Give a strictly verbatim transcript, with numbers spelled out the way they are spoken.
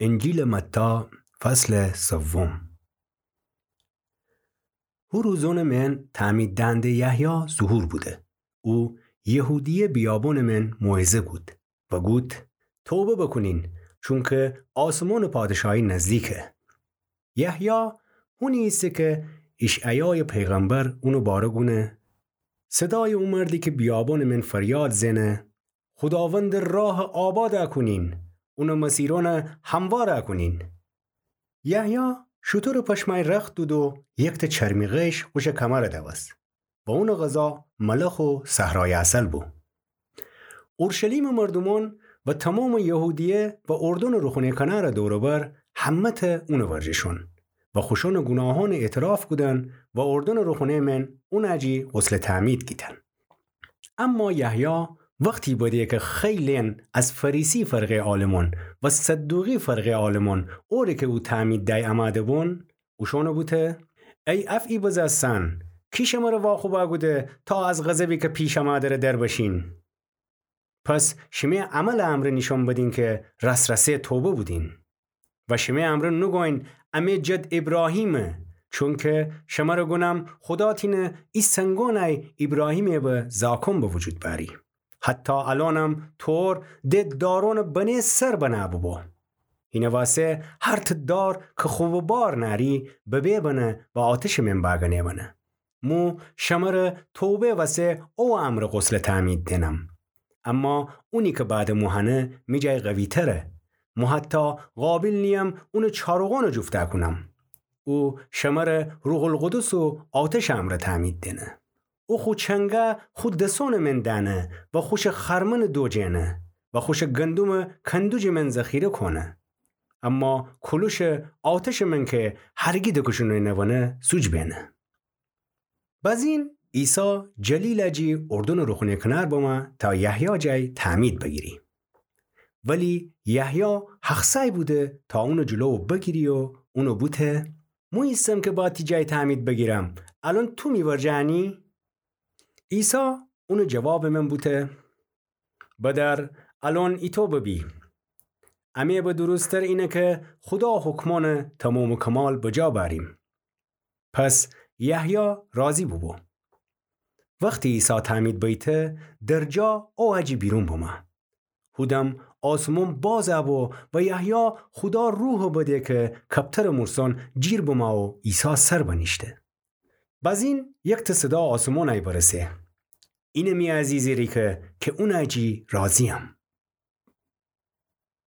انجیلٚ متی، فصلٚ سوم. هو روزأنٚ من تعمید دهنده یحیی ظهور بوده. او یهودیه بیابأنٚ من موعظه گود و گود: توبه بوکونین، چونکه آسمانٚ پادشاهی نزدیکه. یحیی هونی ایسه کی اشعیایٚ پیغمبر اونٚ باره گونه: صدایٚ او مردی کی بیابأنٚ من فریاد زئنه: خوداوندٚ راهَ آباد کونین، اونٚ مسیرأنَ هموار کونین. یحیی شوتورٚ پشمأی رخت دود و یکتأ چرمی غیش خوشٚ کمرَ دوست و اونٚ غذا ملخ و صحرایٚ عسل بو. اورشلیمٚ مردومأن و تومامٚ یهودیه و اردنٚ روخونٚ کنارٚ دور و بر همه‌تأ اونٚ ورجه شون و خوشأنٚ گوناهأنَ اعتراف کودن و اردنٚ روخونٚ من اونٚ جی غسلٚ تعمید گیتن. اما یحیی وختی بده کی خیلین از فریسی فرقه‌یٚ عالمأن و صدوقی فرقه‌یٚ عالمأن اوره کی او تعمید دأی امده بون، اوشأنَ بوته: ای افعی بزستن، کی شمره واخوب کوده تا از غضبی کی پیش امده‌ره در بشین؟ پس شیمه عملٚ امرأ نیشأن بدین کی راس‌راسی توبه بودین. و شیمه امرأ نوگوین: امه جد ایبراهیمه، چونکی شمره گونم خودا تینه ای سنگأنَ ایبراهیمٚ به زاکأن به وجود بأری. حتی الأنم طور د دارأنٚ بنه سر بنه بوبو. اینٚ واسه هر تأ دار کی خوبٚ بار نأری ببه بنه و آتشٚ من بأگأنه بنه. مو شمره توبه واسه او امرأ غسلٚ تعمید دئنم. اما اونی کی بعدٚ مو هنه می جای قوی‌تره. مو حتی قابیل نییم اونٚ چاروغأنَ جوفته کونم. او شمره روح‌القدس و آتشٚ امرأ تعمید دئنه. او خو چنگه خو دسأنٚ من دأنه و خوشٚ خرمنَ دوجه‌نه و خوشٚ گندمَ کندوجٚ من ذخیره کونه. اما کولوشٚ آتشٚ من کی هرگی دکوشونه‌نوأنه سوج بئنه. بزین عیسی جلیلٚ جی اردنٚ روخونٚ کنار بمه تا یحیی جای تعمید بگیری. ولی یحیی هخسأی بوده تا اونٚ جلو بگیری و اونَ بوته: مو ایسم کی با تی جای تعمید بگیرم، الأن تو می ورجه انی؟ عیسی اونٚ جوابٚ من بوته: بدأر الأن ایتو ببی. امه به درستر اینه کی خودا حکمأنَ تومام و کمال بجا بأریم. پس یحیی راضی بوبو. وختی عیسی تعمید بیته، درجا اوأجی بیرون بمه. هودم آسمون باز بو و یحیی خودا روحَ بده کی کبترٚ مورسأن جیر بمه و عیسی سر بنیشته. بزین یکتأ صدا آسمونأی برسه: اینه می عزیزٚ ریکه کی اونأجی راضییم.